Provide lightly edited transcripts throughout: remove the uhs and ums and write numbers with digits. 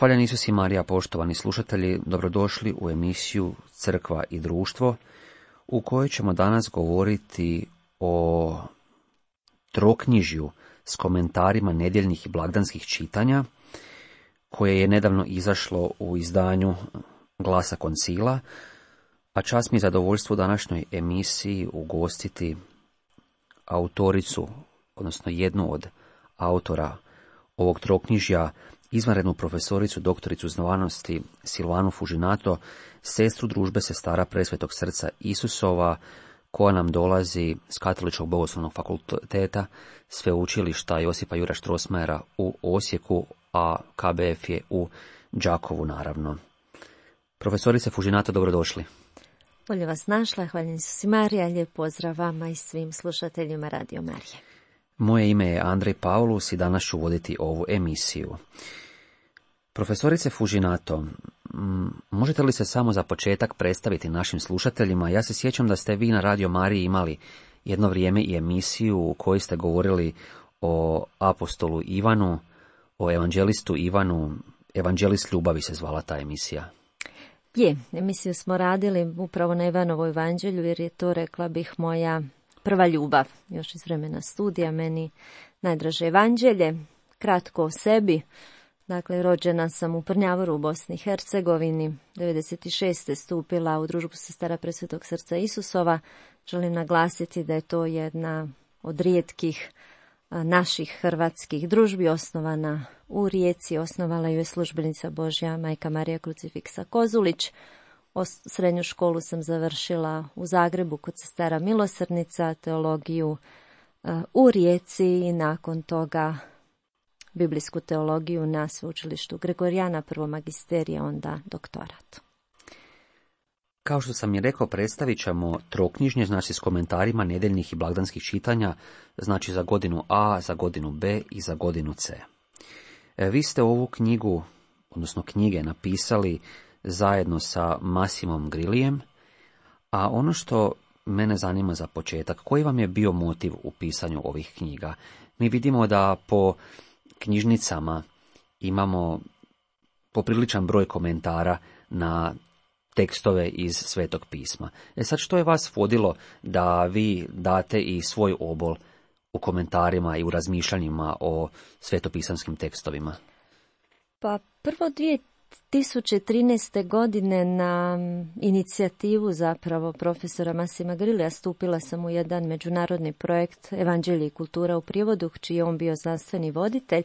Hvaljen Isus i Marija, poštovani slušatelji, dobrodošli u emisiju Crkva i društvo, u kojoj ćemo danas govoriti o troknjižju s komentarima nedjeljnih i blagdanskih čitanja, koje je nedavno izašlo u izdanju Glasa koncila, a čast mi je zadovoljstvo u današnjoj emisiji ugostiti autoricu, odnosno jednu od autora ovog troknjižja, izvanrednu profesoricu, doktoricu znanosti Silvanu Fužinato, sestru družbe sestara Presvetog srca Isusova, koja nam dolazi s Katoličkog bogoslovnog fakulteta sveučilišta Josipa Juraja Strossmayera u Osijeku, a KBF je u Đakovu, naravno. Profesorice Fužinato, dobrodošli. Bolje vas našla, hvaljen Isus i Marija, lijep pozdrav vama i svim slušateljima Radio Marije. Moje ime je Andrej Paulus i danas ću voditi ovu emisiju. Profesorice Fužinato, možete li se samo za početak predstaviti našim slušateljima? Ja se sjećam da ste vi na Radio Mariji imali jedno vrijeme i emisiju u kojoj ste govorili o apostolu Ivanu, o evanđelistu Ivanu. Evanđelist ljubavi se zvala ta emisija. Je, emisiju smo radili upravo na Ivanovu evanđelju, jer je to, rekla bih, moja prva ljubav, još iz vremena studija, meni najdraže evanđelje. Kratko o sebi. Dakle, rođena sam u Prnjavoru u Bosni i Hercegovini, 96. stupila u družbu sestara Presvetog srca Isusova. Želim naglasiti da je to jedna od rijetkih naših hrvatskih družbi, osnovana u Rijeci. Osnovala ju je službenica Božja majka Marija Krucifiksa Kozulić. Srednju školu sam završila u Zagrebu kod sestara Milosrdnica, teologiju u Rijeci i nakon toga biblijsku teologiju na sveučilištu Gregorijana, prvo magisterija, onda doktorat. Kao što sam i rekao, predstavit ćemo troknjižnje, znači s komentarima nedjeljnih i blagdanskih čitanja, znači za godinu A, za godinu B i za godinu C. Vi ste ovu knjigu, odnosno knjige, napisali zajedno sa Massimom Grillijem, a ono što mene zanima za početak, koji vam je bio motiv u pisanju ovih knjiga? Mi vidimo da po knjižnicama imamo popriličan broj komentara na tekstove iz Svetog pisma. Sad, što je vas vodilo da vi date i svoj obol u komentarima i u razmišljanjima o svetopisanskim tekstovima? Pa prvo 2013. godine na inicijativu zapravo profesora Massima Grillija stupila sam u jedan međunarodni projekt Evanđelje i kultura u prijevodu, čiji je on bio znanstveni voditelj.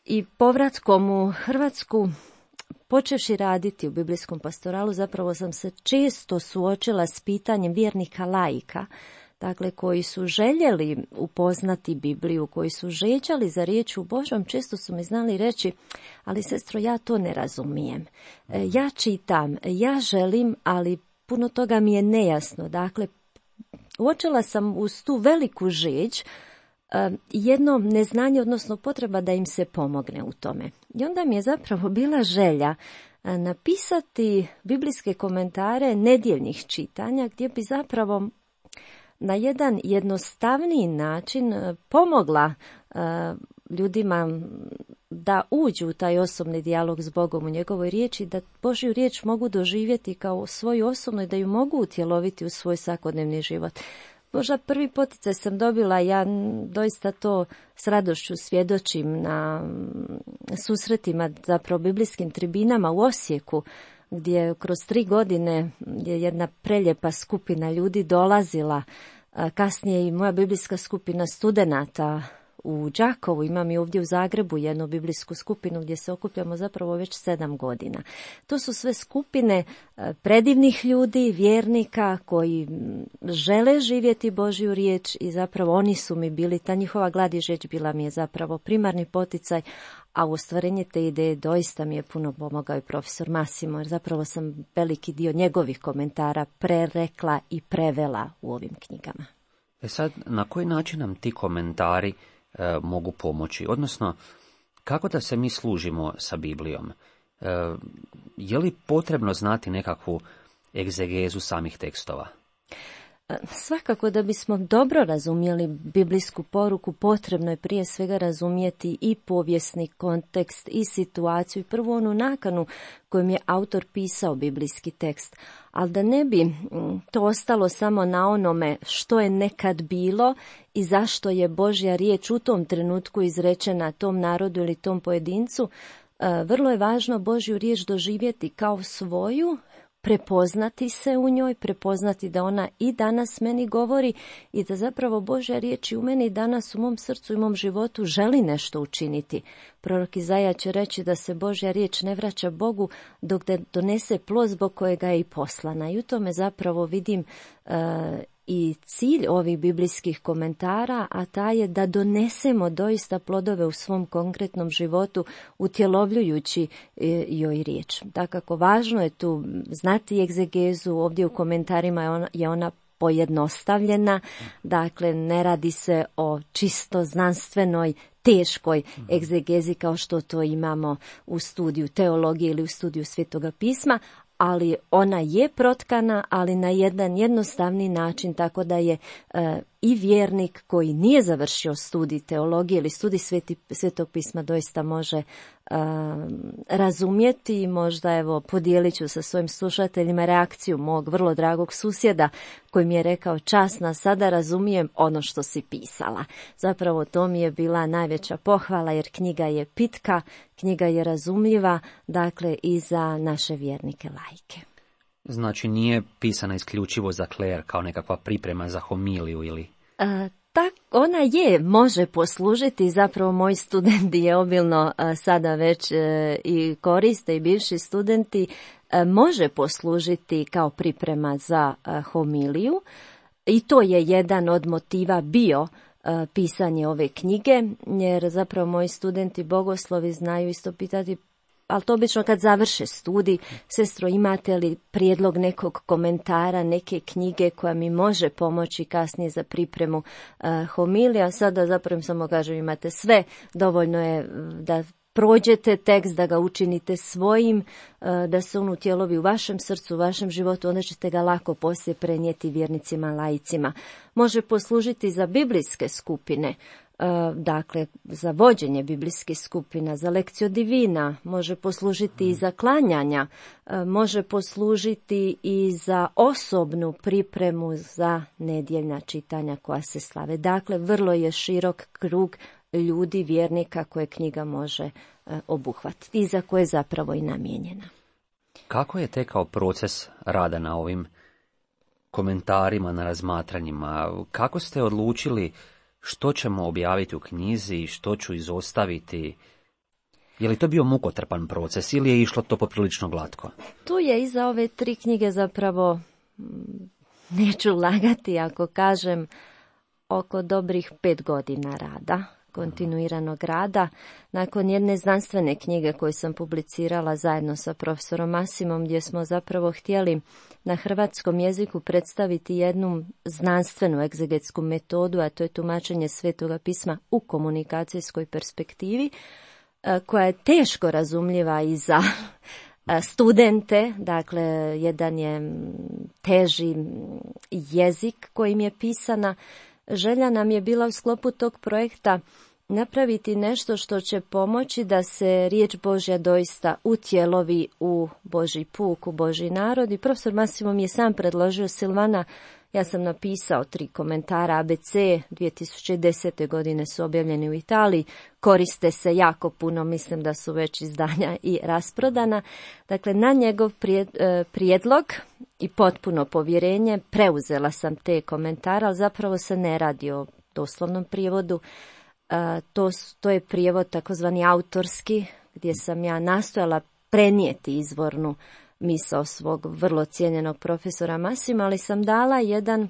I povratkom u Hrvatsku, počevši raditi u biblijskom pastoralu, zapravo sam se često suočila s pitanjem vjernika laika, dakle koji su željeli upoznati Bibliju, koji su žeđali za riječu Božjom. Često su mi znali reći: ali sestro, ja to ne razumijem. Ja čitam, ja želim, ali puno toga mi je nejasno. Dakle, uočila sam uz tu veliku žeđ jedno neznanje, odnosno potreba da im se pomogne u tome. I onda mi je zapravo bila želja napisati biblijske komentare nedjeljnih čitanja, gdje bi zapravo na jedan jednostavniji način pomogla ljudima da uđu u taj osobni dijalog s Bogom u njegovoj riječi, da Božju riječ mogu doživjeti kao svoju osobnu i da ju mogu utjeloviti u svoj svakodnevni život. Možda prvi poticaj sam dobila, ja doista to s radošću svjedočim na susretima, zapravo biblijskim tribinama u Osijeku, gdje kroz 3 godine je jedna preljepa skupina ljudi dolazila. Kasnije i moja biblijska skupina studenata u Đakovu, imam i ovdje u Zagrebu jednu biblijsku skupinu gdje se okupljamo zapravo već 7 godina. To su sve skupine predivnih ljudi, vjernika koji žele živjeti Božju riječ i zapravo oni su mi bili, ta njihova glad i žeđ bila mi je zapravo primarni poticaj, a u ostvarenje te ideje doista mi je puno pomogao i profesor Massimo, jer zapravo sam veliki dio njegovih komentara prerekla i prevela u ovim knjigama. Sad, na koji način nam ti komentari mogu pomoći? Odnosno, kako da se mi služimo sa Biblijom? Je li potrebno znati nekakvu egzegezu samih tekstova? Svakako da bismo dobro razumjeli biblijsku poruku, potrebno je prije svega razumjeti i povijesni kontekst i situaciju i prvu onu nakanu kojom je autor pisao biblijski tekst. Ali da ne bi to ostalo samo na onome što je nekad bilo i zašto je Božja riječ u tom trenutku izrečena tom narodu ili tom pojedincu, vrlo je važno Božju riječ doživjeti kao svoju, prepoznati se u njoj, prepoznati da ona i danas meni govori i da zapravo Božja riječ i u meni danas, u mom srcu i mom životu želi nešto učiniti. Prorok Izaja će reći da se Božja riječ ne vraća Bogu dok da donese plod zbog kojega je i poslana. I u tome zapravo vidim i cilj ovih biblijskih komentara, a ta je da donesemo doista plodove u svom konkretnom životu utjelovljujući joj riječ. Dakako, važno je tu znati egzegezu, ovdje u komentarima je ona pojednostavljena, dakle ne radi se o čisto znanstvenoj, teškoj egzegezi kao što to imamo u studiju teologije ili u studiju Svetoga pisma, ali ona je protkana, ali na jedan jednostavni način, tako da je i vjernik koji nije završio studij teologije ili studij Svetog pisma doista može razumjeti. Možda evo podijelit ću sa svojim slušateljima reakciju mog vrlo dragog susjeda koji mi je rekao: časna, sada razumijem ono što si pisala. Zapravo to mi je bila najveća pohvala jer knjiga je pitka, knjiga je razumljiva, dakle i za naše vjernike laike. Znači nije pisana isključivo za kler kao nekakva priprema za homiliju ili... Ona može poslužiti, zapravo moji studenti je obilno sada već i koriste i bivši studenti, može poslužiti kao priprema za homiliju i to je jedan od motiva bio pisanje ove knjige, jer zapravo moji studenti bogoslovi znaju isto pitati, ali to obično kad završe studij: sestro, imate li prijedlog nekog komentara, neke knjige koja mi može pomoći kasnije za pripremu homilija? Sada zapravo samo kažem, imate sve, dovoljno je da prođete tekst, da ga učinite svojim, da se on utjelovi u vašem srcu, u vašem životu, onda ćete ga lako poslije prenijeti vjernicima, laicima. Može poslužiti za biblijske skupine, dakle za vođenje biblijskih skupina, za lekciju divina, može poslužiti i za klanjanja, može poslužiti i za osobnu pripremu za nedjeljna čitanja koja se slave. Dakle, vrlo je širok krug ljudi, vjernika koje knjiga može obuhvatiti i za koje je zapravo i namijenjena. Kako je tekao proces rada na ovim komentarima, na razmatranjima? Kako ste odlučili što ćemo objaviti u knjizi i što ću izostaviti? Je li to bio mukotrpan proces ili je išlo to poprilično glatko? Tu je iza ove 3 knjige zapravo, neću lagati ako kažem, oko dobrih 5 godina rada, kontinuiranog rada. Nakon jedne znanstvene knjige koju sam publicirala zajedno sa profesorom Masimom, gdje smo zapravo htjeli na hrvatskom jeziku predstaviti jednu znanstvenu egzegetsku metodu, a to je tumačenje Svetoga pisma u komunikacijskoj perspektivi, koja je teško razumljiva i za studente. Dakle, jedan je teži jezik kojim je pisana. Želja nam je bila u sklopu tog projekta napraviti nešto što će pomoći da se riječ Božja doista utjelovi u Božji puk, u Božji narod. I profesor Masimo mi je sam predložio: Silvana, ja sam napisao 3 komentara ABC, 2010. godine su objavljeni u Italiji, koriste se jako puno, mislim da su već izdanja i rasprodana. Dakle, na njegov prijedlog i potpuno povjerenje preuzela sam te komentare, ali zapravo se ne radi o doslovnom prijevodu. To je prijevod takozvani autorski, gdje sam ja nastojala prenijeti izvornu misao svog vrlo cijenjenog profesora Masima, ali sam dala jedan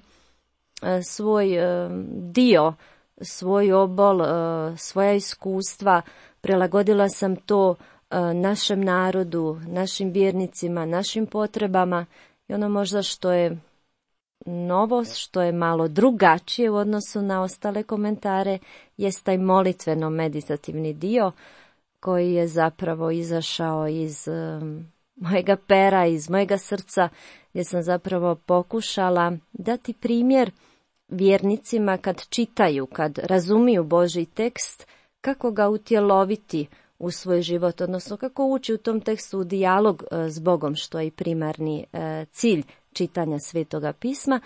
svoj dio, svoj obol, svoja iskustva, prilagodila sam to našem narodu, našim vjernicima, našim potrebama i ono možda što je novost, što je malo drugačije u odnosu na ostale komentare, jest taj molitveno-meditativni dio koji je zapravo izašao iz mojega pera, iz mojega srca, gdje sam zapravo pokušala dati primjer vjernicima kad čitaju, kad razumiju Božji tekst, kako ga utjeloviti u svoj život, odnosno kako ući u tom tekstu u dijalog s Bogom, što je i primarni cilj čitanja Svetoga pisma.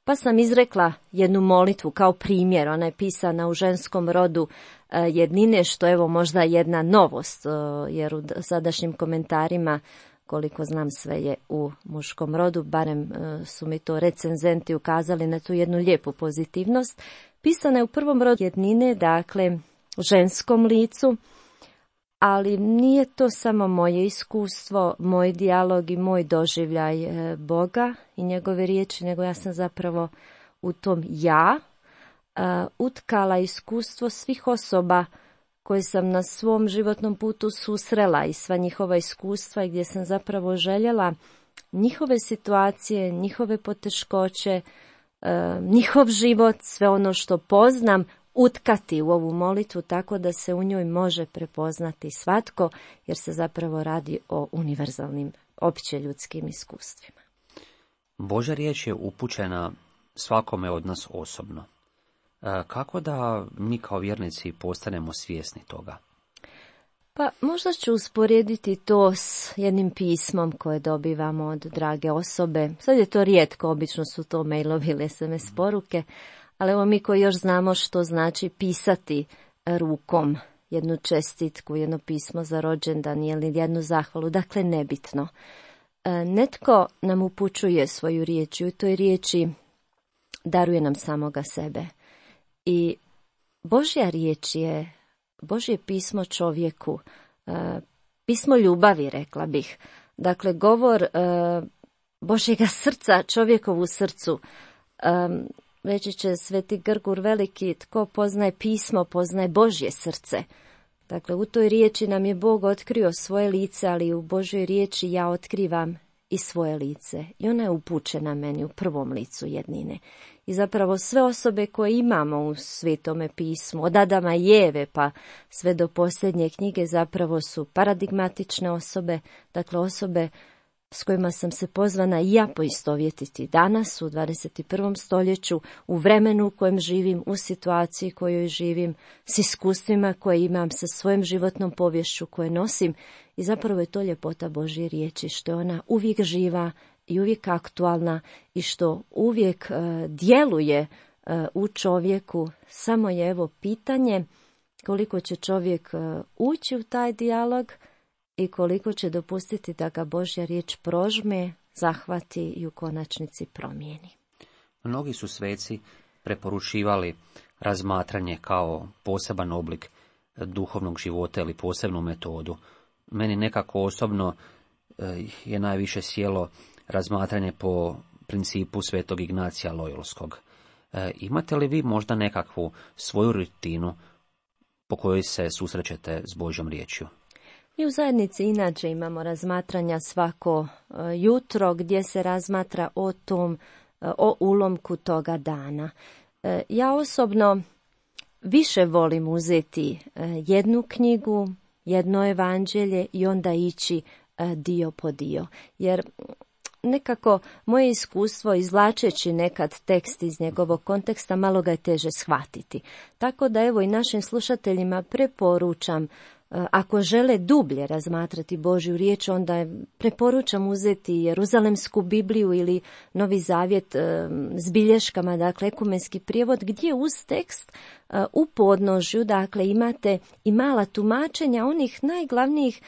Pa sam izrekla jednu molitvu kao primjer, ona je pisana u ženskom rodu jednine, što evo možda jedna novost, jer u sadašnjim komentarima, koliko znam, sve je u muškom rodu, barem su mi to recenzenti ukazali na tu jednu lijepu pozitivnost. Pisana je u prvom rodu jednine, dakle u ženskom licu, ali nije to samo moje iskustvo, moj dijalog i moj doživljaj Boga i njegove riječi, nego ja sam zapravo u tom utkala iskustvo svih osoba koje sam na svom životnom putu susrela i sva njihova iskustva, gdje sam zapravo željela njihove situacije, njihove poteškoće, njihov život, sve ono što poznam, utkati u ovu molitvu tako da se u njoj može prepoznati svatko, jer se zapravo radi o univerzalnim, opće ljudskim iskustvima. Božja riječ je upućena svakome od nas osobno. Kako da mi kao vjernici postanemo svjesni toga? Pa možda ću usporediti to s jednim pismom koje dobivamo od drage osobe. Sad je to rijetko, obično su to mailovi ili SMS poruke, ali evo mi koji još znamo što znači pisati rukom jednu čestitku, jedno pismo za rođendan ili jednu zahvalu, dakle nebitno. Netko nam upućuje svoju riječ i u toj riječi daruje nam samoga sebe. I Božja riječ je Božje pismo čovjeku, pismo ljubavi, rekla bih. Dakle, govor Božjega srca čovjekovu srcu. Reći će Sveti Grgur Veliki, tko poznaje pismo, poznaje Božje srce. Dakle, u toj riječi nam je Bog otkrio svoje lice, ali u Božjoj riječi ja otkrivam i svoje lice. I ona je upućena meni u prvom licu jednine. I zapravo sve osobe koje imamo u Svetome pismu, od Adama i Eve pa sve do posljednje knjige, zapravo su paradigmatične osobe, dakle osobe s kojima sam se pozvana i ja poistovjetiti danas u 21. stoljeću, u vremenu u kojem živim, u situaciji kojoj živim, s iskustvima koje imam, sa svojom životnom poviješću koje nosim. I zapravo je to ljepota Božje riječi, što je ona uvijek živa i uvijek aktualna i što uvijek djeluje u čovjeku. Samo je evo pitanje koliko će čovjek ući u taj dijalog i koliko će dopustiti da ga Božja riječ prožme, zahvati i u konačnici promijeni. Mnogi su sveci preporučivali razmatranje kao poseban oblik duhovnog života ili posebnu metodu. Meni nekako osobno je najviše sjelo razmatranje po principu Svetog Ignacija Lojolskog. Imate li vi možda nekakvu svoju rutinu po kojoj se susrećete s Božjom riječju? Mi u zajednici inače imamo razmatranja svako jutro gdje se razmatra o ulomku toga dana. Ja osobno više volim uzeti jednu knjigu, jedno evanđelje i onda ići dio po dio. Jer nekako moje iskustvo izvlačeći nekad tekst iz njegovog konteksta malo ga je teže shvatiti. Tako da evo i našim slušateljima preporučam, ako žele dublje razmatrati Božju riječ, onda preporučam uzeti Jeruzalemsku Bibliju ili Novi Zavjet s bilješkama, dakle ekumenski prijevod, gdje uz tekst u podnožju, dakle imate i mala tumačenja onih najglavnijih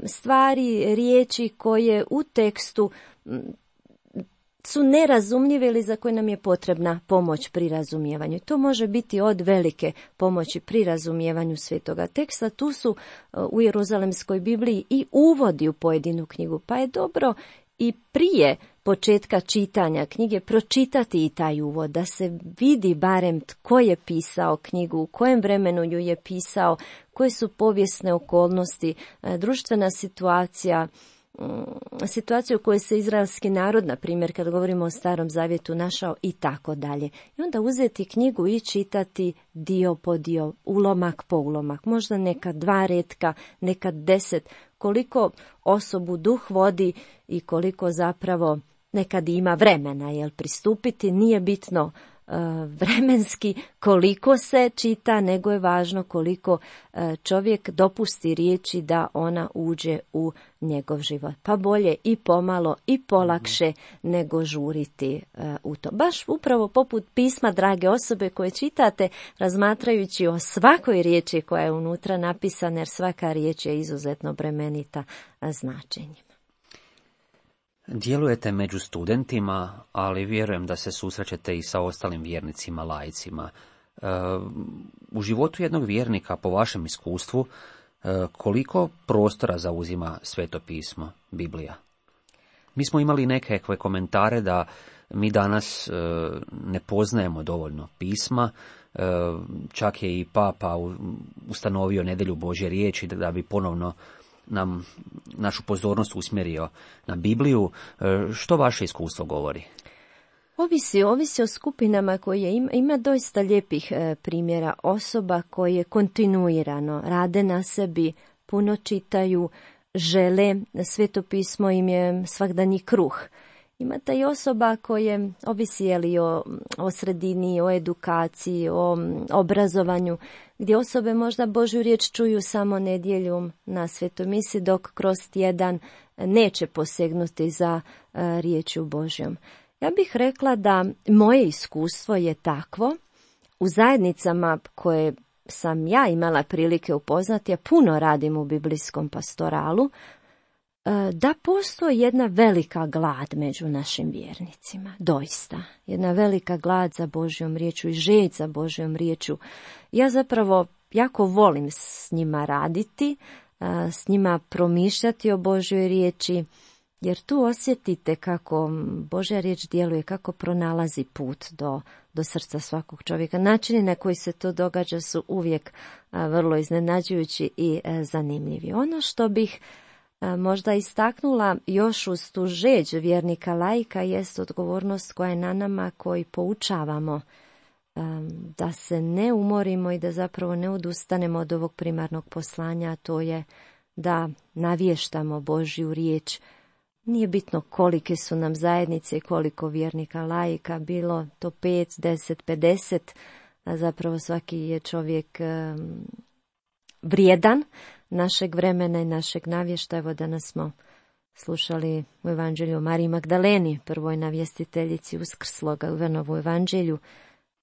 stvari, riječi koje u tekstu su nerazumljive ili za koje nam je potrebna pomoć pri razumijevanju. To može biti od velike pomoći pri razumijevanju svetoga teksta. Tu su u Jeruzalemskoj Bibliji i uvodi u pojedinu knjigu, pa je dobro i prije početka čitanja knjige pročitati i taj uvod, da se vidi barem tko je pisao knjigu, u kojem vremenu ju je pisao, koje su povijesne okolnosti, društvena situacija, situaciju u kojoj se izraelski narod, na primjer, kad govorimo o Starom Zavjetu, našao i tako dalje. I onda uzeti knjigu i čitati dio po dio, ulomak po ulomak, možda nekad 2 retka, nekad 10, koliko osobu duh vodi i koliko zapravo nekad ima vremena pristupiti. Nije bitno vremenski koliko se čita, nego je važno koliko čovjek dopusti riječi da ona uđe u njegov život. Pa bolje i pomalo i polakše nego žuriti u to. Baš upravo poput pisma, drage osobe, koje čitate razmatrajući o svakoj riječi koja je unutra napisana, jer svaka riječ je izuzetno bremenita značenjem. Djelujete među studentima, ali vjerujem da se susrećete i sa ostalim vjernicima, laicima. U životu jednog vjernika, po vašem iskustvu, koliko prostora zauzima Sveto pismo, Biblija? Mi smo imali neke komentare da mi danas ne poznajemo dovoljno pisma, čak je i Papa ustanovio nedjelju Božje riječi da bi ponovno nam našu pozornost usmjerio na Bibliju. Što vaše iskustvo govori? Ovisi o skupinama koje ima doista lijepih primjera osoba koje kontinuirano rade na sebi, puno čitaju, žele, Sveto pismo im je svakdanji kruh. Imate i osoba koje ovisi o sredini, o edukaciji, o obrazovanju, gdje osobe možda Božju riječ čuju samo nedjeljom na svetoj misi, dok kroz tjedan neće posegnuti za riječju Božjom. Ja bih rekla da moje iskustvo je takvo u zajednicama koje sam ja imala prilike upoznati, ja puno radim u biblijskom pastoralu, da postoji jedna velika glad među našim vjernicima, doista. Jedna velika glad za Božjom riječu i želj za Božjom riječu. Ja zapravo jako volim s njima raditi, s njima promišljati o Božjoj riječi, jer tu osjetite kako Božja riječ djeluje, kako pronalazi put do srca svakog čovjeka. Načini na koji se to događa su uvijek vrlo iznenađujući i zanimljivi. Ono što bih možda istaknula još uz tu žeđ vjernika laika jest odgovornost koja je na nama koji poučavamo da se ne umorimo i da zapravo ne odustanemo od ovog primarnog poslanja, a to je da navještamo Božju riječ. Nije bitno kolike su nam zajednice i koliko vjernika laika, bilo to 5, 10, 50, a zapravo svaki je čovjek vrijedan našeg vremena i našeg navještaja. Evo danas smo slušali u Evanđelju o Mariji Magdaleni, prvoj navjestiteljici Uskrsloga, u Ivanovu Evanđelju,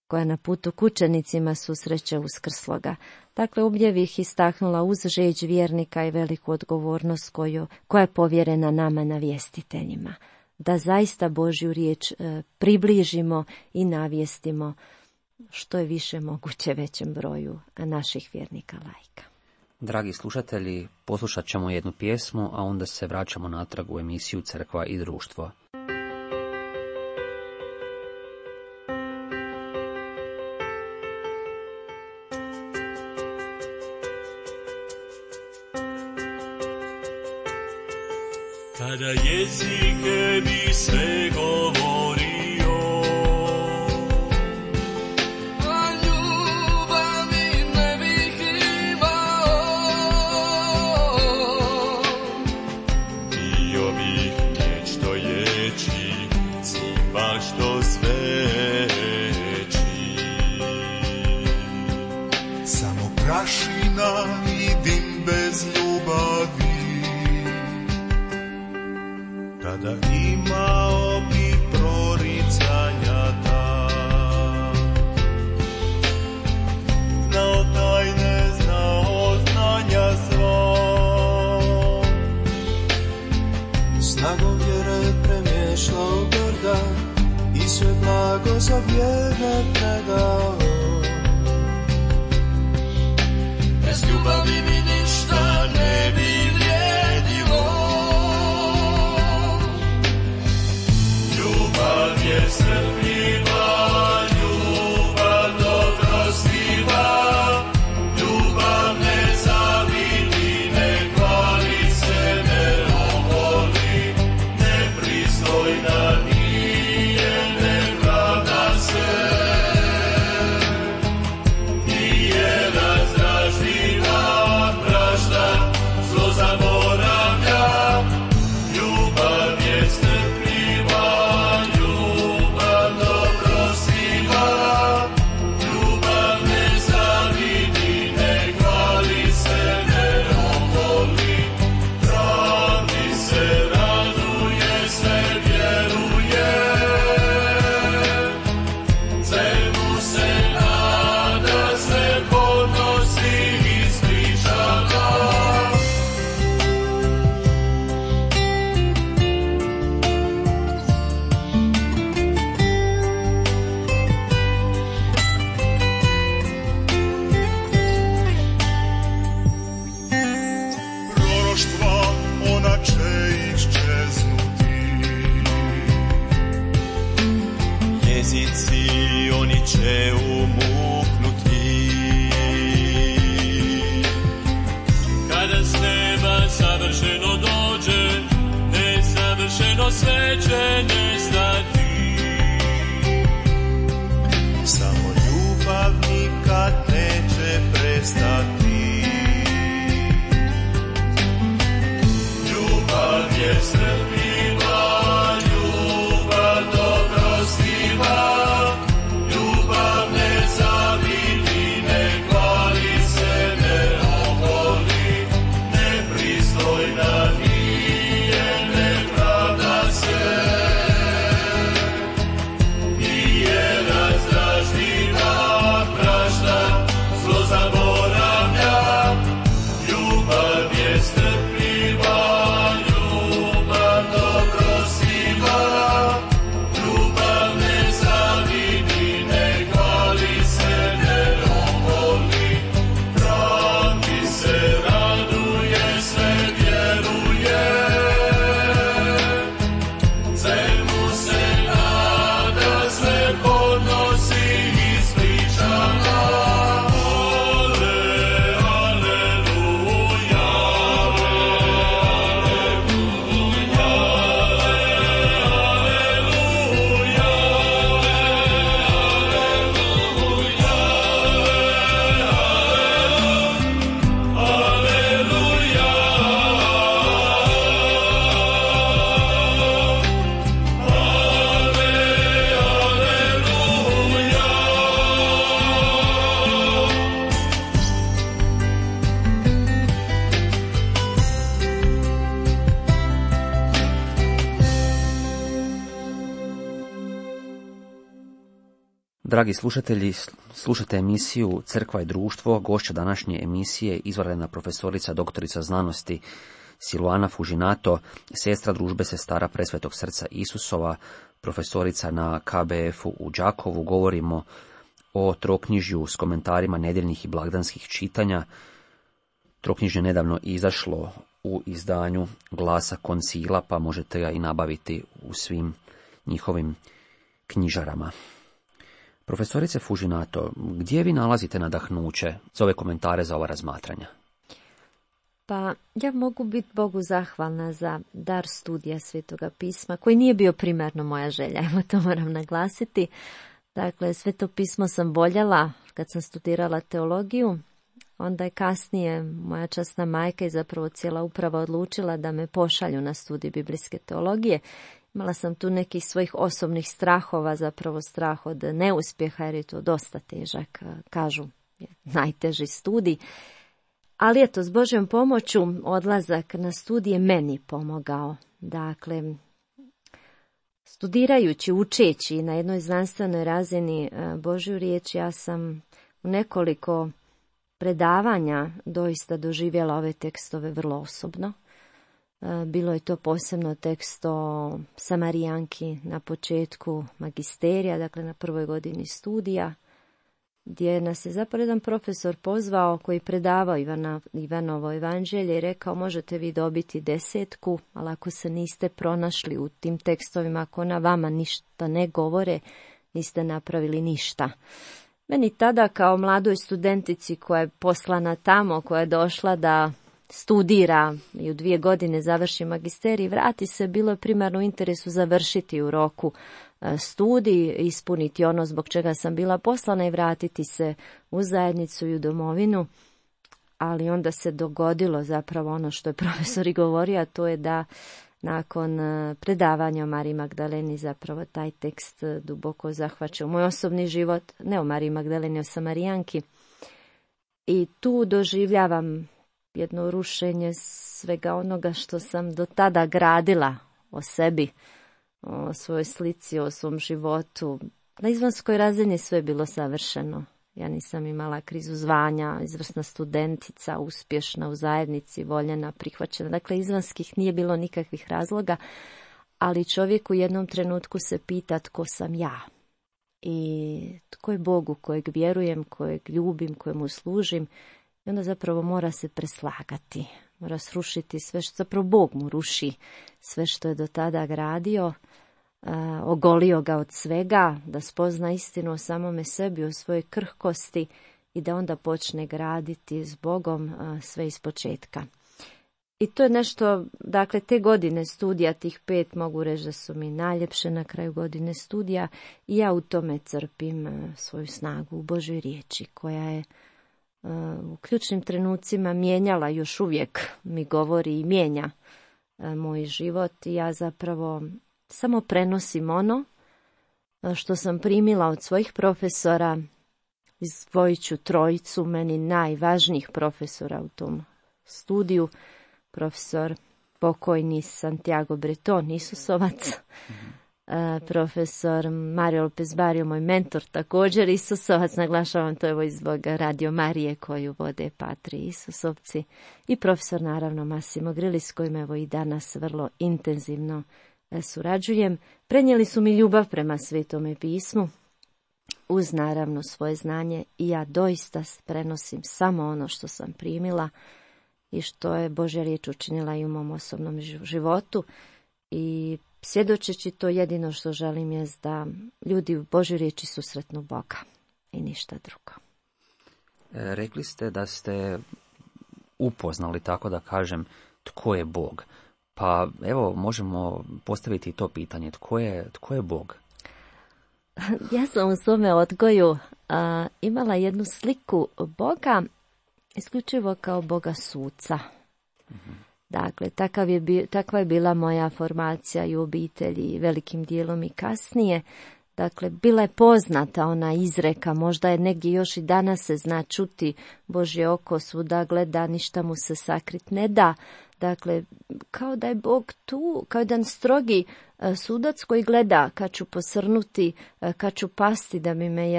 koja na putu k učenicima susreće Uskrsloga. Dakle, ovdje bih istaknula uz žeđ vjernika i veliku odgovornost koja je povjerena nama navjestiteljima, da zaista Božju riječ približimo i navijestimo što je više moguće većem broju naših vjernika laika. Dragi slušatelji, poslušat ćemo jednu pjesmu, a onda se vraćamo natrag u emisiju Crkva i društvo. Kada jezike bi sve govorio, a ljubavi ne bih imao, bio bih nešto ječi, cipa što sveći. Samo prašina i dim bez ljubavi. Kada imao bi proricanja ta, znao tajne, znao znanja svo, snagom vjere premješao brda i sve blago za vjerne predao. Bez ljubavi mi ništa ne bi vrijedilo. Ljubav je strpljiva, ljubav dobrostiva, ljubav ne zavidi, ne hvali se, ne oholi, nepristojna nije, ne pravda se, nije razdražljiva, prašta, zlo zaboravlja. jezici oni će umuknuti. Kada s neba savršeno dođe, nesavršeno sve će nestati. Samo ljubav nikad neće prestati. Ljubav je strpljiva, ljubav dobrostiva, ljubav ne zavidi, ne hvali se, ne oholi, nepristojna nije, ne pravda se, nije razdražljiva, prašta, zlo zaboravlja. Ljubav je strpljiva, ljubav dobrostiva, ljubav ne zavidi, ne hvali se, ne oholi, pravdi se raduje, sve vjeruje, svemu se nada, sve podnosi ispričana. Dragi slušatelji, slušate emisiju Crkva i društvo. Gošća današnje emisije izvanredna profesorica doktorica znanosti Silvana Fužinato, sestra družbe sestara Presvetog srca Isusova, profesorica na KBF-u u Đakovu. Govorimo o troknjižju s komentarima nedjeljnih i blagdanskih čitanja. Troknjižje nedavno izašlo u izdanju Glasa koncila, pa možete ga i nabaviti u svim njihovim knjižarama. Profesorice Fužinato, gdje vi nalazite nadahnuće za ove komentare, za ova razmatranja? Pa ja mogu biti Bogu zahvalna za dar studija Svetoga pisma, koji nije bio primarno moja želja, evo to moram naglasiti. Dakle, Sveto pismo sam voljela kad sam studirala teologiju, onda je kasnije moja časna majka i zapravo cijela uprava odlučila da me pošalju na studij biblijske teologije. Imala sam tu nekih svojih osobnih strahova, zapravo strah od neuspjeha, jer je to dosta težak, kažu, najteži studij. Ali eto, s Božjom pomoću odlazak na studije meni pomogao. Dakle, studirajući, učeći na jednoj znanstvenoj razini Božju riječ, ja sam u nekoliko predavanja doista doživjela ove tekstove vrlo osobno. Bilo je to posebno tekst o Samarijanki na početku magisterija, dakle na prvoj godini studija, gdje nas je zapravo jedan profesor pozvao koji predavao Ivanovo evanđelje i rekao: možete vi dobiti 10, ali ako se niste pronašli u tim tekstovima, ako na vama ništa ne govore, niste napravili ništa. Meni tada kao mladoj studentici koja je poslana tamo, koja je došla da studira i u 2 godine završi magisterij, vrati se, bilo je primarno u interesu završiti u roku studij, ispuniti ono zbog čega sam bila poslana i vratiti se u zajednicu i u domovinu. Ali onda se dogodilo zapravo ono što je profesor i govorio, a to je da nakon predavanja o Mariji Magdaleni zapravo taj tekst duboko zahvaća moj osobni život, ne o Mariji Magdaleni, o Samarijanki. I tu doživljavam jedno rušenje svega onoga što sam do tada gradila o sebi, o svojoj slici, o svom životu. Na izvanskoj razini sve je bilo savršeno. Ja nisam imala krizu zvanja, izvrsna studentica, uspješna u zajednici, voljena, prihvaćena. Dakle, izvanskih nije bilo nikakvih razloga, ali čovjek u jednom trenutku se pita tko sam ja. I tko je Bogu kojeg vjerujem, kojeg ljubim, kojemu služim. I onda zapravo mora se preslagati, mora srušiti sve što, zapravo Bog mu ruši sve što je do tada gradio, ogolio ga od svega, da spozna istinu o samome sebi, o svojoj krhkosti i da onda počne graditi s Bogom sve iz početka. I to je nešto, dakle, te godine studija, tih 5, mogu reći da su mi najljepše na kraju godine studija i ja u tome crpim svoju snagu u Božoj riječi, koja je u ključnim trenucima mijenjala, još uvijek mi govori i mijenja moj život i ja zapravo samo prenosim ono što sam primila od svojih profesora. Izdvojit ću 3 meni najvažnijih profesora u tom studiju. Profesor pokojni Santiago Breton, Isusovac, profesor Mario Lopez Barrio, moj mentor, također Isusovac, naglašavam to evo zbog Radio Marije koju vode Patri Isusovci, i profesor naravno Massimo Grilli, s kojim evo i danas vrlo intenzivno surađujem. Prenijeli su mi ljubav prema Svetome pismu, uz naravno svoje znanje, i ja doista prenosim samo ono što sam primila i što je Božja riječ učinila i u mom osobnom životu. I svjedočeći to, jedino što želim je da ljudi u Božjoj riječi susretnu Boga i ništa drugo. Rekli ste da ste upoznali, tako da kažem, tko je Bog. Pa evo, možemo postaviti to pitanje. Tko je Bog? Ja sam u svome odgoju imala jednu sliku Boga isključivo kao Boga suca. Dakle, takva je bila moja formacija i u obitelji, velikim dijelom i kasnije. Dakle, bila je poznata ona izreka, možda je negdje još i danas se zna čuti, Božje oko svuda gleda, ništa mu se sakrit ne da. Dakle, kao da je Bog tu, kao jedan strogi sudac koji gleda kad ću posrnuti, kad ću pasti da bi me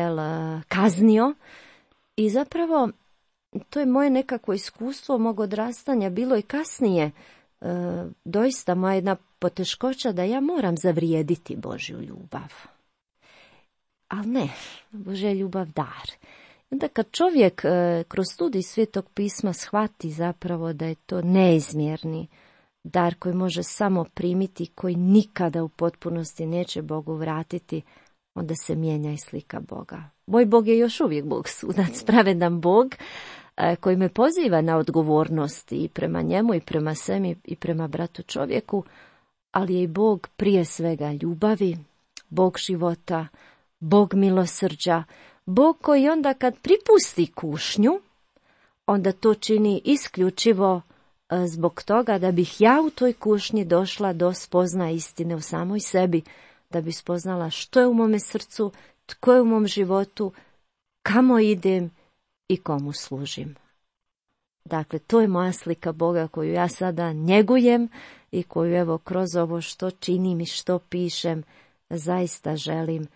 kaznio. I zapravo to je moje nekako iskustvo mog odrastanja, bilo i kasnije. Doista moja jedna poteškoća da ja moram zavrijediti Božju ljubav. Ali ne, Božja ljubav dar. Onda kad čovjek kroz studij Svetog pisma shvati zapravo da je to neizmjerni dar koji može samo primiti, koji nikada u potpunosti neće Bogu vratiti, onda se mijenja i slika Boga. Moj Bog je još uvijek Bog sudac, pravedan Bog koji me poziva na odgovornost i prema njemu i prema sebi i prema bratu čovjeku, ali je i Bog prije svega ljubavi, Bog života, Bog milosrđa, Bog koji onda kad pripusti kušnju, onda to čini isključivo zbog toga da bih ja u toj kušnji došla do spoznaje istine u samoj sebi, da bi spoznala što je u mome srcu, tko je u mom životu, kamo idem i komu služim. Dakle, to je moja slika Boga koju ja sada njegujem i koju evo kroz ovo što činim i što pišem zaista želim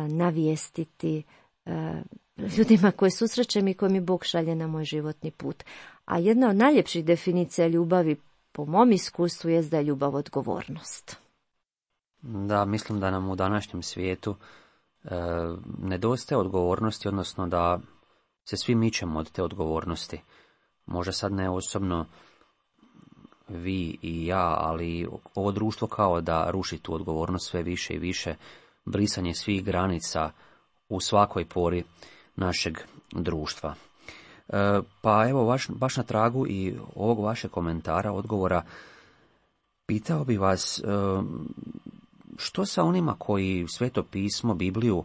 navijestiti ljudima koje susrećem i koje mi Bog šalje na moj životni put. A jedna od najljepših definicija ljubavi po mom iskustvu je da je ljubav odgovornost. Da, mislim da nam u današnjem svijetu nedostaje odgovornosti, odnosno da se svi mičemo od te odgovornosti. Možda sad ne osobno vi i ja, ali ovo društvo kao da ruši tu odgovornost sve više i više, brisanje svih granica u svakoj pori našeg društva. Pa evo, baš na tragu i ovog vašeg komentara, odgovora, pitao bi vas što sa onima koji Sveto pismo, Bibliju,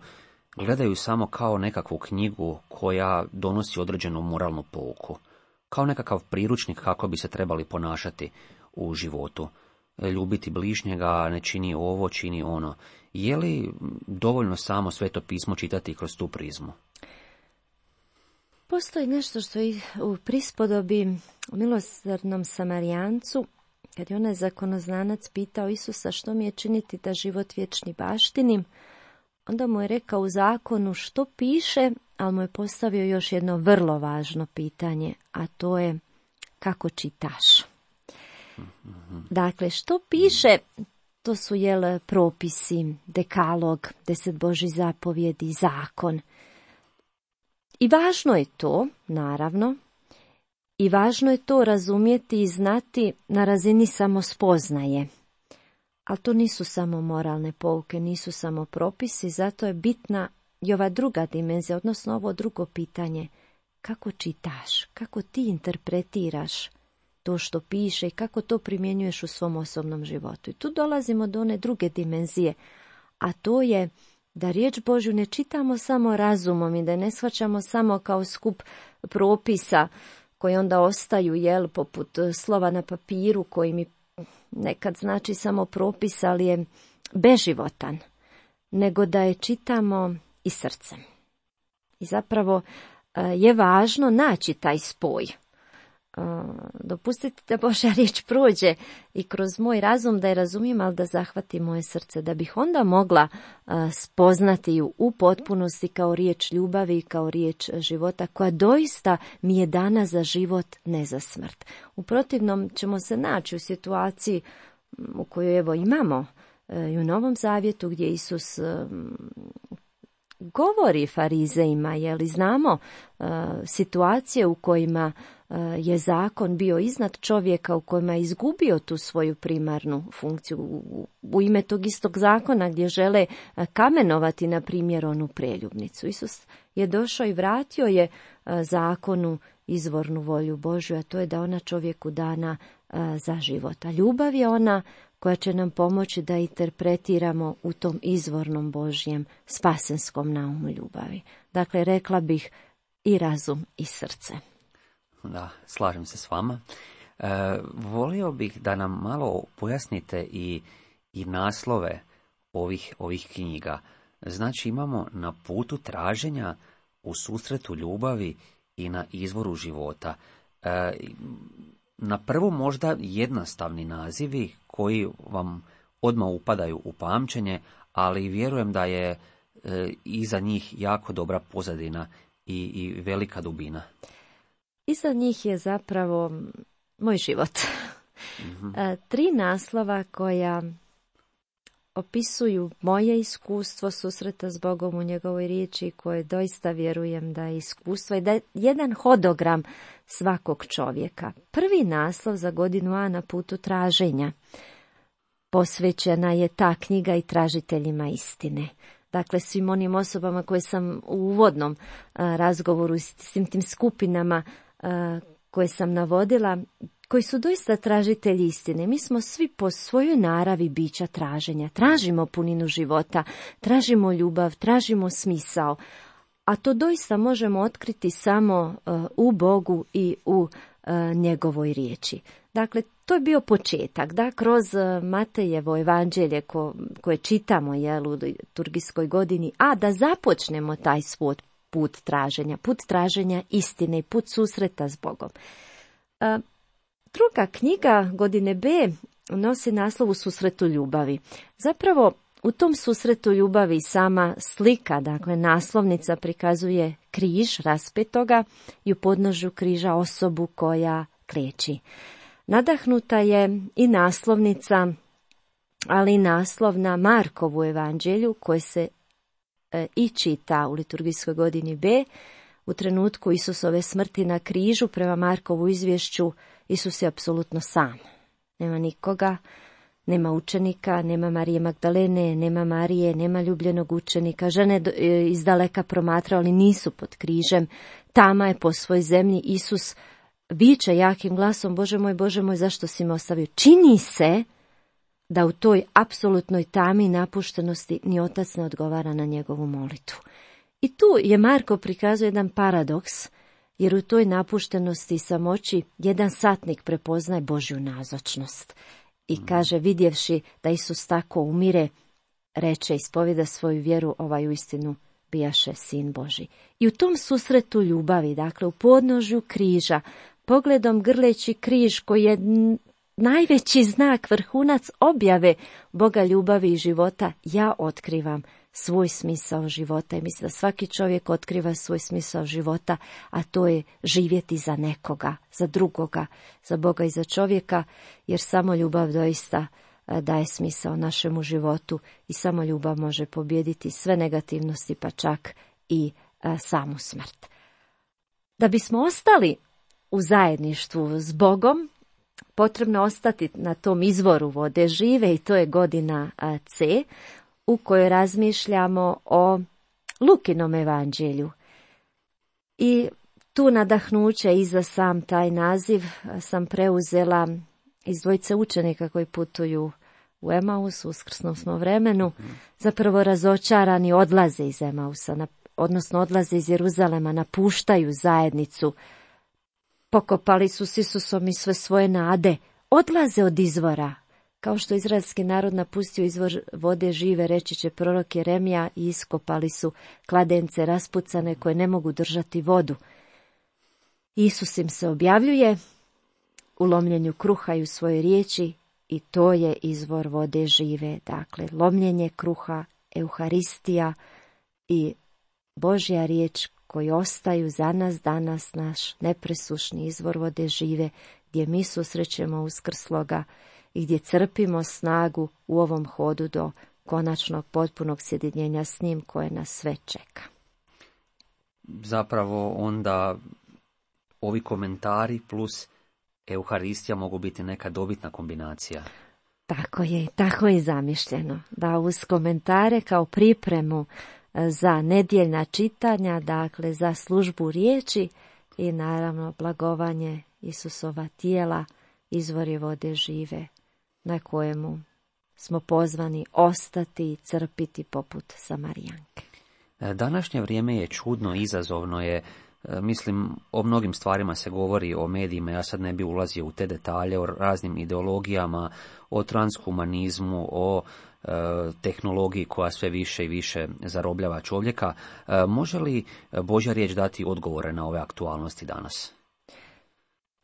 gledaju samo kao nekakvu knjigu koja donosi određenu moralnu pouku, kao nekakav priručnik kako bi se trebali ponašati u životu. Ljubiti bližnjega, ne čini ovo, čini ono. Je li dovoljno samo Sveto pismo čitati kroz tu prizmu? Postoji nešto što je u prispodobi u milosrdnom Samarijancu, kad je onaj zakonoznanac pitao Isusa što mi je činiti da život vječni baštinim, onda mu je rekao u zakonu što piše, ali mu je postavio još jedno vrlo važno pitanje, a to je kako čitaš. Dakle, što piše, to su propisi, dekalog, 10 Božjih zapovjedi, zakon. I važno je to, naravno, i važno je to razumjeti i znati na razini samospoznaje. Ali to nisu samo moralne pouke, nisu samo propisi, zato je bitna i ova druga dimenzija, odnosno ovo drugo pitanje. Kako čitaš, kako ti interpretiraš to što piše i kako to primjenjuješ u svom osobnom životu. I tu dolazimo do one druge dimenzije, a to je da riječ Božju ne čitamo samo razumom i da ne shvaćamo samo kao skup propisa koji onda ostaju, poput slova na papiru koji mi nekad znači samo propis, ali je beživotan, nego da je čitamo i srcem. I zapravo je važno naći taj spoj. Dopustite da Božja riječ prođe i kroz moj razum da je razumijem, ali da zahvati moje srce, da bih onda mogla spoznati ju u potpunosti kao riječ ljubavi, kao riječ života, koja doista mi je dana za život, ne za smrt. U protivnom ćemo se naći u situaciji u kojoj imamo i u Novom Zavjetu, gdje Isus govori farizejima, znamo situacije u kojima je zakon bio iznad čovjeka, u kojima je izgubio tu svoju primarnu funkciju u ime tog istog zakona gdje žele kamenovati, na primjer, onu preljubnicu. Isus je došao i vratio je zakonu izvornu volju Božju, a to je da ona čovjeku dana za život. A ljubav je ona koja će nam pomoći da interpretiramo u tom izvornom Božjem spasenskom naumu ljubavi. Dakle, rekla bih i razum i srce. Da, slažem se s vama. Volio bih da nam malo pojasnite i naslove ovih knjiga. Znači, imamo Na putu traženja, U susretu ljubavi i Na izvoru života. Na prvo možda jednostavni nazivi koji vam odmah upadaju u pamćenje, ali vjerujem da je iza njih jako dobra pozadina i velika dubina. Iza njih je zapravo moj život. Mm-hmm. 3 naslova koja opisuju moje iskustvo susreta s Bogom u njegovoj riječi, koje doista vjerujem da je iskustvo i da je jedan hodogram svakog čovjeka. Prvi naslov za godinu A Na putu traženja. Posvećena je ta knjiga i tražiteljima istine. Dakle, svim onim osobama koje sam u uvodnom razgovoru s svim tim skupinama koje sam navodila, koji su doista tražitelji istine. Mi smo svi po svojoj naravi bića traženja. Tražimo puninu života, tražimo ljubav, tražimo smisao. A to doista možemo otkriti samo u Bogu i u njegovoj riječi. Dakle, to je bio početak, da kroz Matejevo evanđelje koje čitamo u liturgijskoj godini, a da započnemo taj svoj put traženja istine i put susreta s Bogom. Druga knjiga godine B nosi naslov U susretu ljubavi. Zapravo, u tom susretu ljubavi sama slika, dakle naslovnica, prikazuje križ raspetoga i u podnožju križa osobu koja kleči. Nadahnuta je i naslovnica, ali i naslov na Markovu evanđelju koje se i čita u liturgijskoj godini B. U trenutku Isusove smrti na križu, prema Markovu izvješću, Isus je apsolutno sam. Nema nikoga, nema učenika, nema Marije Magdalene, nema Marije, nema ljubljenog učenika. Žene izdaleka promatraju, ali nisu pod križem. Tama je po svojoj zemlji. Isus viče jakim glasom: Bože moj, zašto si me ostavio? Čini se da u toj apsolutnoj tami i napuštenosti ni otac ne odgovara na njegovu molitvu. I tu je Marko prikazuje jedan paradoks, jer u toj napuštenosti i samoći jedan satnik prepoznaje Božju nazočnost. I kaže, vidjevši da Isus tako umire, reče, ispovjeda svoju vjeru, ovaj uistinu bijaše sin Božji. I u tom susretu ljubavi, dakle u podnožju križa, pogledom grleći križ koji je najveći znak, vrhunac objave Boga ljubavi i života, ja otkrivam svoj smisao života. I mislim da svaki čovjek otkriva svoj smisao života, a to je živjeti za nekoga, za drugoga, za Boga i za čovjeka, jer samo ljubav doista daje smisao našemu životu i samo ljubav može pobijediti sve negativnosti, pa čak i samu smrt. Da bismo ostali u zajedništvu s Bogom, potrebno ostati na tom izvoru vode žive i to je godina C u kojoj razmišljamo o Lukinom evanđelju. I tu nadahnuće i za sam taj naziv sam preuzela iz dvojice učenika koji putuju u Emaus, u uskrsnom smo vremenu, zapravo razočarani odlaze iz Emausa, odnosno odlaze iz Jeruzalema, napuštaju zajednicu, pokopali su s Isusom i sve svoje nade, odlaze od izvora. Kao što izraelski narod napustio izvor vode žive, reći će prorok Jeremija, i iskopali su kladence raspucane koje ne mogu držati vodu. Isus im se objavljuje u lomljenju kruha i u svojoj riječi i to je izvor vode žive. Dakle, lomljenje kruha, Euharistija i Božja riječ koji ostaju za nas danas naš nepresušni izvor vode žive, gdje mi susrećemo uskrsloga i gdje crpimo snagu u ovom hodu do konačnog potpunog sjedinjenja s njim koje nas sve čeka. Zapravo onda ovi komentari plus Euharistija mogu biti neka dobitna kombinacija. Tako je zamišljeno. Da uz komentare kao pripremu za nedjeljna čitanja, dakle za službu riječi i naravno blagovanje Isusova tijela, izvori vode žive na kojemu smo pozvani ostati i crpiti poput Samarijanke. Današnje vrijeme je čudno, izazovno je. Mislim, o mnogim stvarima se govori o medijima, ja sad ne bi ulazio u te detalje, o raznim ideologijama, o transhumanizmu, o tehnologiji koja sve više i više zarobljava čovjeka. Može li Božja riječ dati odgovore na ove aktualnosti danas?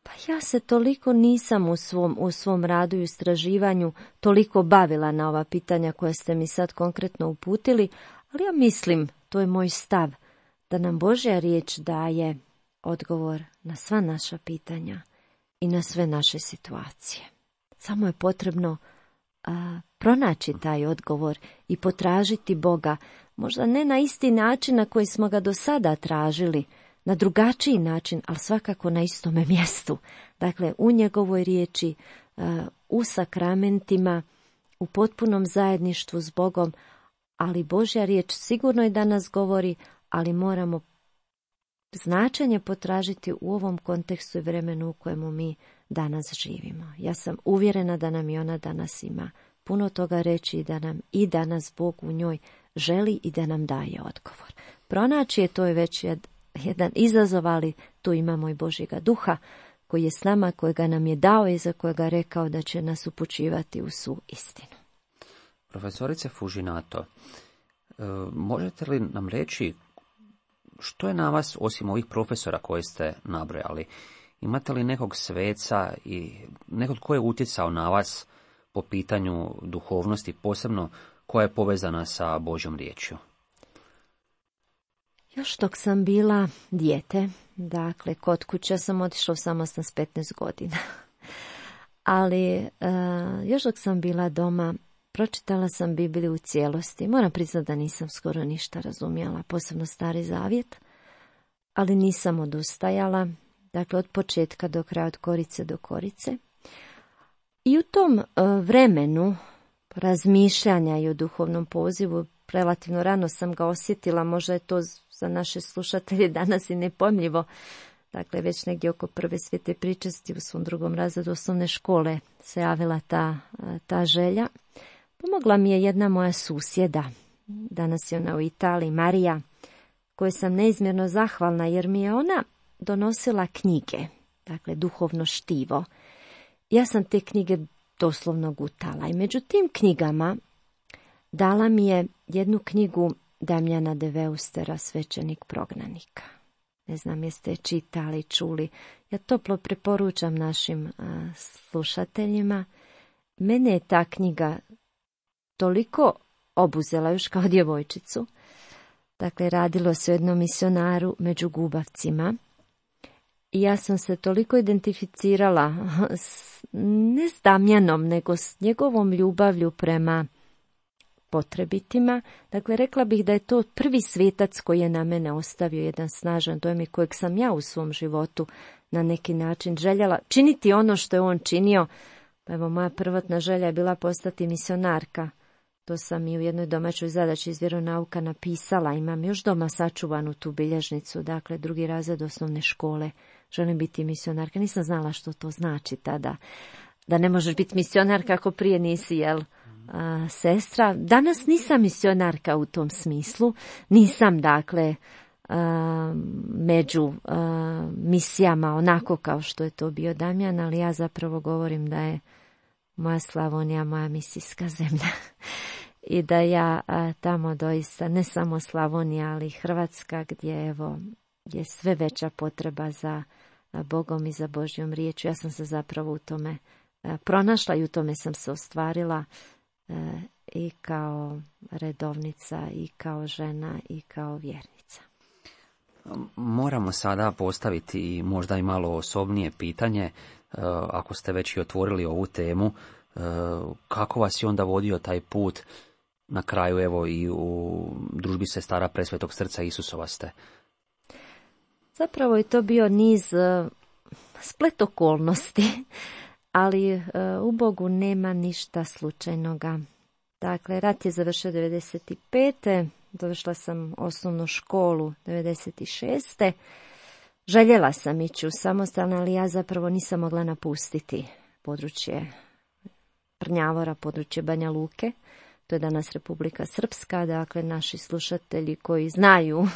Pa ja se toliko nisam u svom radu i istraživanju toliko bavila na ova pitanja koja ste mi sad konkretno uputili, ali ja mislim, to je moj stav, da nam Božja riječ daje odgovor na sva naša pitanja i na sve naše situacije. Samo je potrebno pronaći taj odgovor i potražiti Boga, možda ne na isti način na koji smo ga do sada tražili, na drugačiji način, ali svakako na istome mjestu. Dakle, u njegovoj riječi, u sakramentima, u potpunom zajedništvu s Bogom, ali Božja riječ sigurno je da nas govori, ali moramo značenje potražiti u ovom kontekstu i vremenu u kojemu mi danas živimo. Ja sam uvjerena da nam i ona danas ima puno toga reći i da nam i danas Bog u njoj želi i da nam daje odgovor. Pronaći je to je već jedan izazov, ali tu imamo i Božjega duha koji je s nama, kojega nam je dao i za kojega rekao da će nas upućivati u svu istinu. Profesorice Fužinato, možete li nam reći što je na vas, osim ovih profesora koje ste nabrojali, imate li nekog sveca i nekog tko je utjecao na vas po pitanju duhovnosti, posebno koja je povezana sa Božjom riječju? Još dok sam bila dijete, dakle kod kuće sam otišla u samostan s 15 godina, ali još dok sam bila doma, pročitala sam Bibliju u cijelosti. Moram priznati da nisam skoro ništa razumjela, posebno Stari Zavjet, ali nisam odustajala, dakle od početka do kraja, od korice do korice. I u tom vremenu razmišljanja i o duhovnom pozivu, relativno rano sam ga osjetila, možda je to za naše slušatelje danas i nepojmljivo. Dakle, već negdje oko prve svete pričesti u svom 2. razredu osnovne škole se javila ta želja. Pomogla mi je jedna moja susjeda, danas je ona u Italiji, Marija, kojoj sam neizmjerno zahvalna jer mi je ona donosila knjige, dakle duhovno štivo. Ja sam te knjige doslovno gutala i među tim knjigama dala mi je jednu knjigu Damjana de Veustera, Svećenik prognanika. Ne znam jeste čitali, čuli. Ja toplo preporučam našim slušateljima. Mene je ta knjiga toliko obuzela još kao djevojčicu. Dakle, radilo se o jednom misionaru među gubavcima. I ja sam se toliko identificirala ne s Damjanom, nego s njegovom ljubavlju prema potrebitima. Dakle, rekla bih da je to prvi svetac koji je na mene ostavio jedan snažan dojam i kojeg sam ja u svom životu na neki način željela činiti ono što je on činio. Pa evo, moja prvotna želja je bila postati misionarka. To sam i u jednoj domaćoj zadaći iz vjeronauka napisala. Imam još doma sačuvanu tu bilježnicu, dakle 2. razred osnovne škole. Želim biti misionarka. Nisam znala što to znači tada. Da ne možeš biti misionarka ako prije nisi, sestra. Danas nisam misionarka u tom smislu. Nisam, dakle, među misijama onako kao što je to bio Damjan, ali ja zapravo govorim da je moja Slavonija moja misijska zemlja. I da ja tamo doista, ne samo Slavonija, ali i Hrvatska, gdje evo je sve veća potreba za Bogom i za Božjom riječju. Ja sam se zapravo u tome pronašla i u tome sam se ostvarila i kao redovnica, i kao žena, i kao vjernica. Moramo sada postaviti i možda i malo osobnije pitanje, ako ste već i otvorili ovu temu, kako vas je onda vodio taj put na kraju, evo i u družbi sestara Presvetog srca Isusova ste? Zapravo je to bio niz splet okolnosti, ali u Bogu nema ništa slučajnoga. Dakle, rat je završio 95. Završila sam osnovnu školu 96. Željela sam ići u samostalno, ali ja zapravo nisam mogla napustiti područje Prnjavora, područje Banja Luke. To je danas Republika Srpska. Dakle, naši slušatelji koji znaju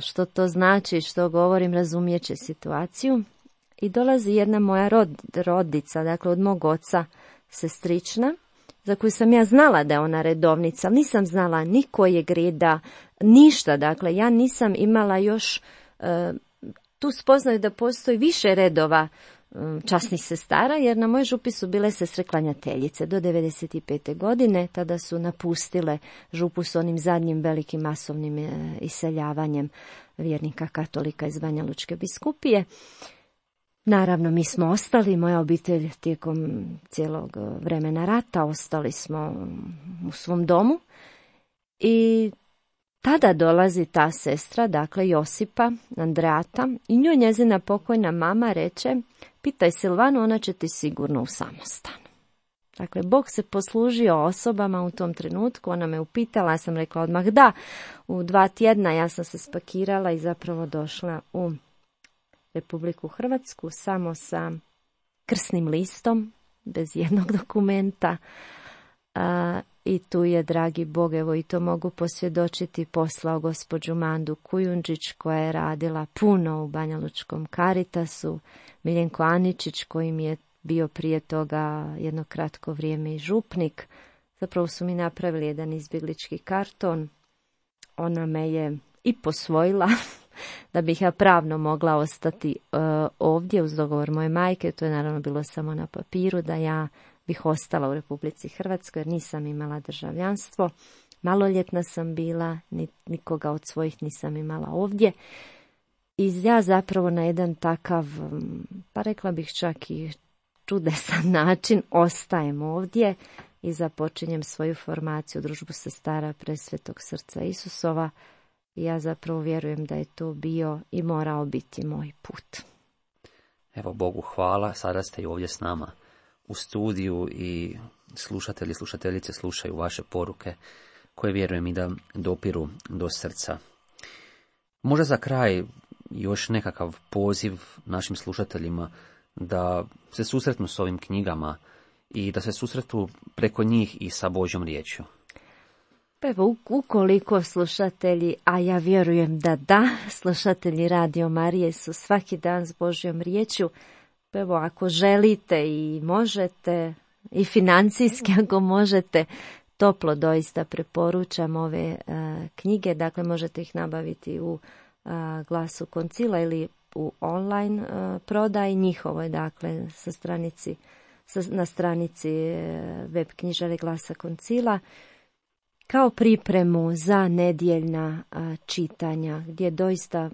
što to znači, što govorim, razumijet će situaciju. I dolazi jedna moja rodica, dakle od mog oca, sestrična, za koju sam ja znala da je ona redovnica, ali nisam znala ni kojeg reda, ništa. Dakle, ja nisam imala još tu spoznaju da postoji više redova časnih sestara, jer na mojoj župi su bile sestre klanjateljice do 95. godine. Tada su napustile župu s onim zadnjim velikim masovnim iseljavanjem vjernika katolika iz Banja Lučke biskupije. Naravno, mi smo ostali, moja obitelj tijekom cijelog vremena rata, ostali smo u svom domu i tada dolazi ta sestra, dakle Josipa, Andreata, i njoj njezina pokojna mama reče: pitaj Silvanu, ona će ti sigurno u samostan. Dakle, Bog se poslužio osobama u tom trenutku, ona me upitala, ja sam rekla odmah da. U 2 tjedna ja sam se spakirala i zapravo došla u Republiku Hrvatsku samo sa krsnim listom, bez jednog dokumenta. I tu je, dragi Bog, evo i to mogu posvjedočiti, poslao gospođu Mandu Kujundžić, koja je radila puno u Banja Lučkom Caritasu, Miljenko Aničić, koji mi je bio prije toga jedno kratko vrijeme i župnik. Zapravo su mi napravili jedan izbjeglički karton. Ona me je i posvojila da bih ja pravno mogla ostati ovdje uz dogovor moje majke. To je naravno bilo samo na papiru, da ja bih ostala u Republici Hrvatskoj jer nisam imala državljanstvo. Maloljetna sam bila, nikoga od svojih nisam imala ovdje. I ja zapravo na jedan takav, pa rekla bih čak i čudesan način, ostajem ovdje i započinjem svoju formaciju u družbu sestara Presvetog srca Isusova. I ja zapravo vjerujem da je to bio i morao biti moj put. Evo, Bogu hvala, sada ste i ovdje s nama u studiju i slušatelji i slušateljice slušaju vaše poruke koje vjerujem i da dopiru do srca. Možda za kraj još nekakav poziv našim slušateljima da se susretnu s ovim knjigama i da se susretu preko njih i sa Božjom riječju. Evo, ukoliko slušatelji, a ja vjerujem da slušatelji Radio Marije su svaki dan s Božjom riječju, evo, ako želite i možete, i financijski ako možete, toplo doista preporučam ove knjige. Dakle, možete ih nabaviti u Glasu Koncila ili u online prodaji njihovoj, dakle, na stranici web knjižare Glasa Koncila, kao pripremu za nedjeljna čitanja, gdje doista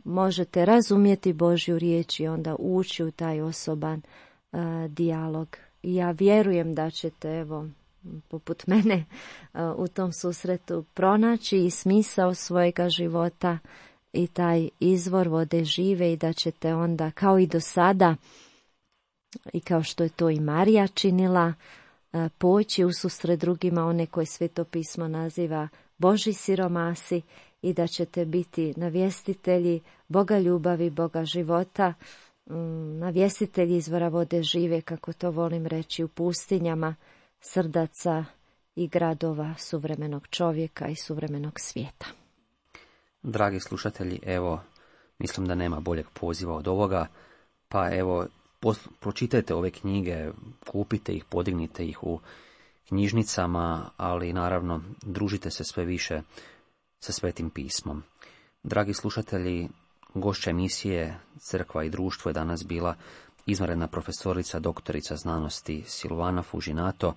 možete razumjeti Božju riječ i onda ući u taj osoban dijalog. I ja vjerujem da ćete, evo, poput mene u tom susretu pronaći i smisao svojega života i taj izvor vode žive i da ćete onda kao i do sada i kao što je to i Marija činila poći u susret drugima, one koje Sveto pismo naziva Božji siromasi i da ćete biti navjestitelji Boga ljubavi, Boga života, navjestitelji izvora vode žive, kako to volim reći, u pustinjama srdaca i gradova suvremenog čovjeka i suvremenog svijeta. Dragi slušatelji, evo, mislim da nema boljeg poziva od ovoga, pa evo, pročitajte ove knjige, kupite ih, podignite ih u knjižnicama, ali naravno družite se sve više sa Svetim pismom. Dragi slušatelji, gošća emisije Crkva i društvo je danas bila izvanredna profesorica, doktorica znanosti Silvana Fužinato,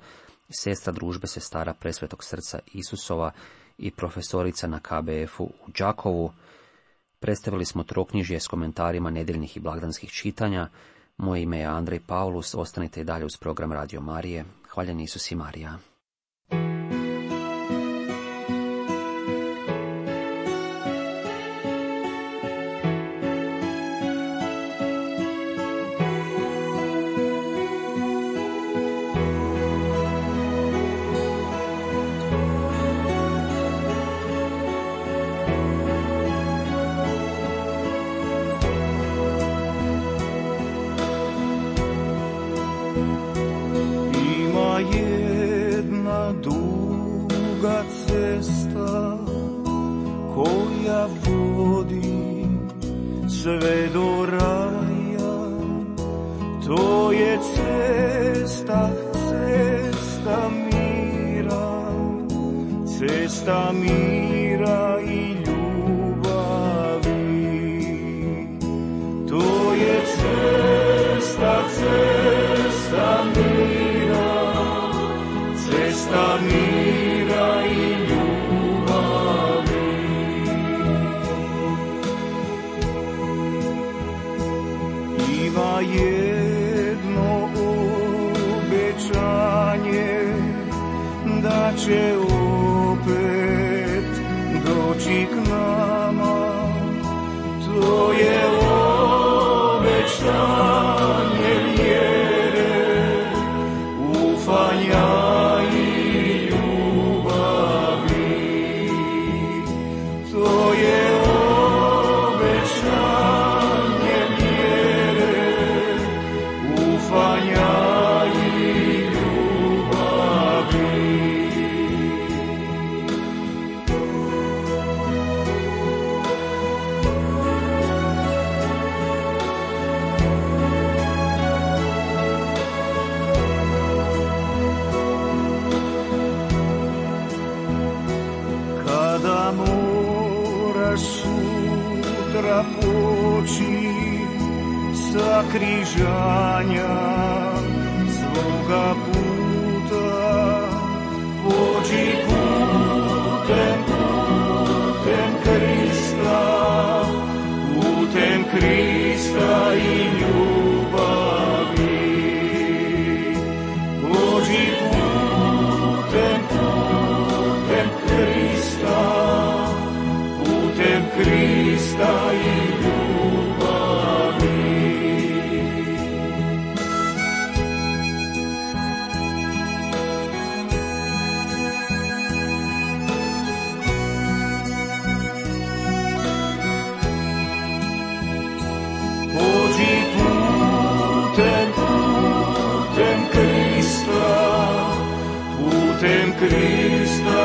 sestra družbe sestara Presvetog srca Isusova i profesorica na KBF-u u Đakovu. Predstavili smo troknjižje s komentarima nedjeljnih i blagdanskih čitanja. Moje ime je Andrej Paulus, ostanite i dalje uz program Radio Marije. Hvaljen Isus i Marija. Sve do raja, to je cesta, cesta mira, cesta mira i ljubavi. To je cesta, cesta mira, cesta mira i ljubavi. Ima jedno obećanje da će opet doći k nama. To je obećanje vjere, ufanja i ljubavi. To je poći sa križanja svoga puta, pođi putem Krista, putem Krista i ljubavi. Pođi putem Krista, putem Krista i ljubavi. Pođi putem Krista, putem Krista